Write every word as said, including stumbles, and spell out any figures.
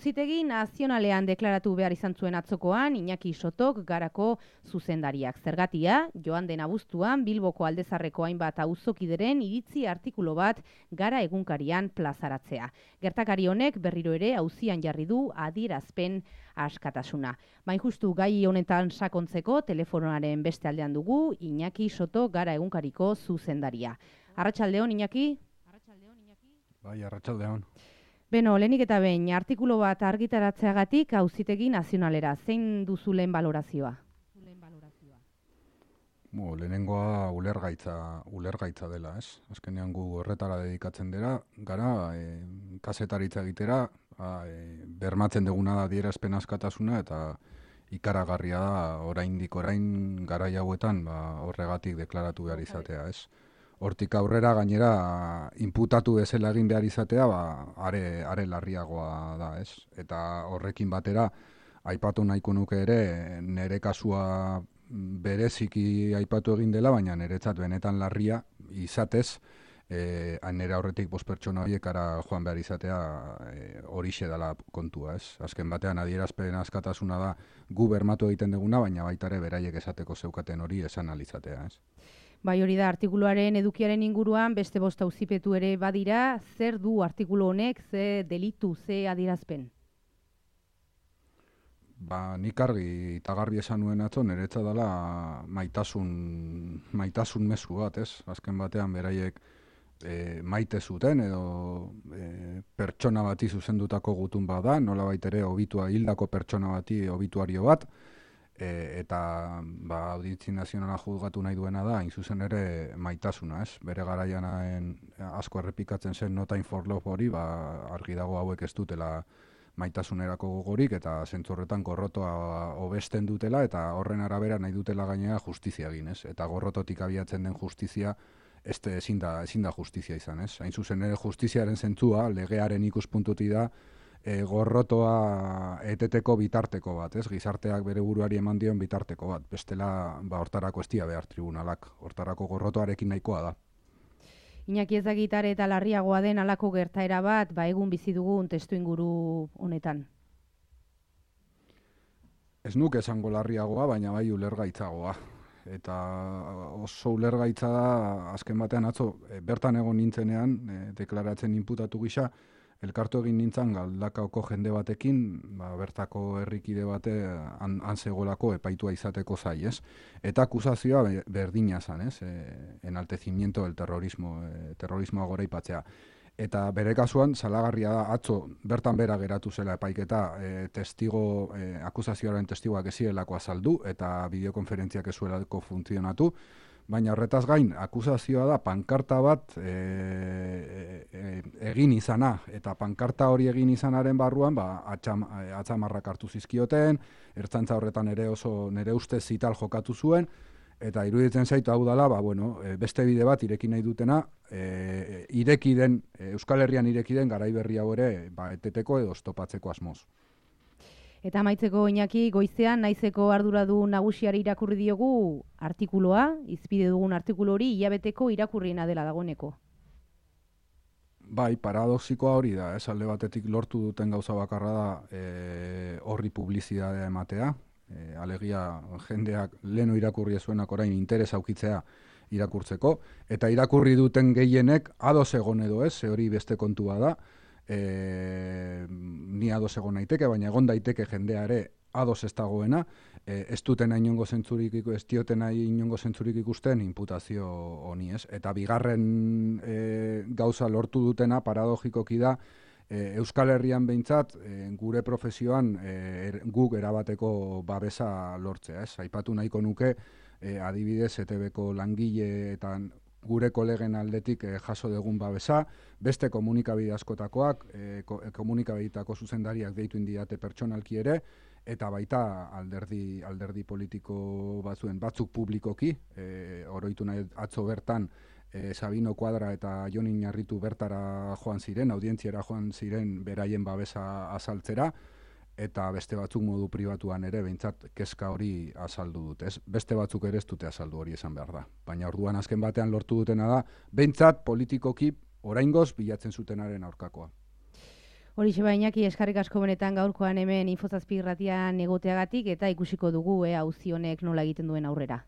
Auzitegi nazionalean deklaratu behar izan zuen atzokoan Iñaki Sotok Garako zuzendariak. Zergatia, joan den abuztuan Bilboko Aldezarreko hainbat auzokideren iritzi artikulu bat Gara egunkarian plazaratzea. Gertakari honek berriro ere auzian jarri du adierazpen askatasuna. Bain justu gai honetan sakontzeko telefonoaren beste aldean dugu Iñaki Soto Gara egunkariko zuzendaria. Arratsaldeon, Iñaki? Bai, arratsaldeon. Beno, lehenik eta behin, artikulu bat argitaratzeagatik Auzitegi Nazionalera. Zein duzu lehen balorazioa? Bo, lehenengoa ulergaitza, ulergaitza dela, ez? Azkenean gu horretara dedikatzen dira, gara, e, kazetaritza egitera, a, e, bermatzen duguna da adierazpen askatasuna eta ikaragarria da oraindik orain garai hauetan ba, horregatik deklaratu behar izatea, ez? Hortik aurrera gainera inputatu bezala egin behar izatea, ba, are, are larriagoa da, ez? Eta horrekin batera, aipatu nahiko nuke ere, nere kasua bereziki aipatu egin dela, baina niretzat benetan larria izatez, e, nire aurretik bost pertsona horiek ara joan behar izatea e, horixe dela kontua, ez? Azken batean adierazpen askatasuna da gu bermatu egiten duguna, baina baita ere beraiek esateko zeukaten hori esan alizatea, ez? Bai, hori da, artikuluaren edukiaren inguruan beste bost auzipetu ere badira, zer du artikulu honek, ze delitu, ze adierazpen? Ba, nik argi eta garbi esan nuen atzo, niretza dela maitasun, maitasun mezu bat, ez? Azken batean beraiek e, maite zuten edo e, pertsona bati zuzendutako gutun bada, nola baitere obitua hildako pertsona bati obituario bat, E, eta ba, audientzi nazionala juzgatu nahi duena da, hain zuzen ere maitasuna, ez? Bere garaianaen asko errepikatzen zen Not Time for Love hori, ba, argi dago hauek ez dutela maitasunerako gogorik, eta zentzorretan gorrotoa hobesten dutela, eta horren arabera nahi dutela gainera justizia egin, ez? Eta gorrototik abiatzen den justizia, este ezin da, ezin da justizia izan, ez? Hain zuzen ere justiziaren zentzua, legearen ikuspuntutik da, E, gorrotoa eteteko bitarteko bat, ez? Gizarteak bere buruari eman dion bitarteko bat. Bestela, ba, hortarako ez dira behar tribunalak. Hortarako gorrotoarekin nahikoa da. Iñaki ezagitare eta larriagoa den halako gertaera bat, ba egun bizi dugun testuinguru honetan. Ez nuke esango larriagoa, baina bai ulergaitzagoa. Eta oso ulergaitza da, azken batean atzo, e, bertan egon nintzenean, e, deklaratzen inputatu gisa, elkartu egin nintzen Galdakaoko jende batekin, ba, bertako herrikide bate han, han zegolako epaitua izateko zai, ez? Eta akusazioa berdina zan, ez? E, enaltecimiento del terrorismo, e, terrorismoa goraipatzea. Eta bere kasuan, salagarria da, atzo bertan bera geratu zela epaiketa, e, testigo, e, akusazioaren testigoak ezirelako azaldu, eta bideokonferentziak ezuelako funtzionatu, baina horretaz gain, akusazioa da pankarta bat e, e, egin izana, eta pankarta hori egin izanaren barruan, ba, atxam, atzamarrak hartu zizkioten, ertzantza horretan ere oso nere ustez zital jokatu zuen, eta iruditzen zaitu hau dela, ba, bueno, beste bide bat ireki nahi dutena, e, ireki den, Euskal Herrian ireki den garai berri hau ere, ba, eteteko edo stopatzeko asmoz. Eta amaitzeko Iñaki, goizean naizeko arduradu nagusiari irakurri diogu artikuloa, izpide dugun artikulu hori hilabeteko irakurriena dela dagoeneko. Bai, paradoxikoa hori da, ez alde batetik lortu duten gauza bakarra da e, horri publizitatea ematea, e, alegia jendeak leno irakurri zuenak orain interes aukitzea irakurtzeko, eta irakurri duten gehienek ados egon edo ez, ze hori beste kontua da, E, ni ados egon naiteke, baina egon daiteke jendea ere ados ez dagoena, e, ez duten inongo zentzurik, ez dioten inongo zentzurik ikusten inputazio honi, ez? Eta bigarren e, gauza lortu dutena paradogikoki da, e, Euskal Herrian behintzat, e, gure profesioan e, er, guk erabateko babesa lortzea, ez? Aipatu nahiko nuke, e, adibidez, E T Bko langile eta gure kolegen aldetik eh, jaso dugun babesa, beste komunikabide askotakoak, eh, ko, komunikabideetako zuzendariak deitu indiate pertsonalki ere, eta baita alderdi, alderdi politiko batzuen batzuk publikoki, eh, oroitu nahi atzo bertan, eh, Sabino Kuadra eta Jon Iñarritu bertara joan ziren, audientziara joan ziren beraien babesa azaltzera, eta beste batzuk modu pribatuan ere behintzat kezka hori azaldu dute. Ez, beste batzuk ere ez dute azaldu hori esan behar da. Baina orduan azken batean lortu dutena da, behintzat politikoki oraingoz bilatzen zutenaren aurkakoa. Horixe Iñaki, eskarrik asko benetan gaurkoan hemen Info zazpi irratian egoteagatik eta ikusiko dugu ea auzi honek nola egiten duen aurrera.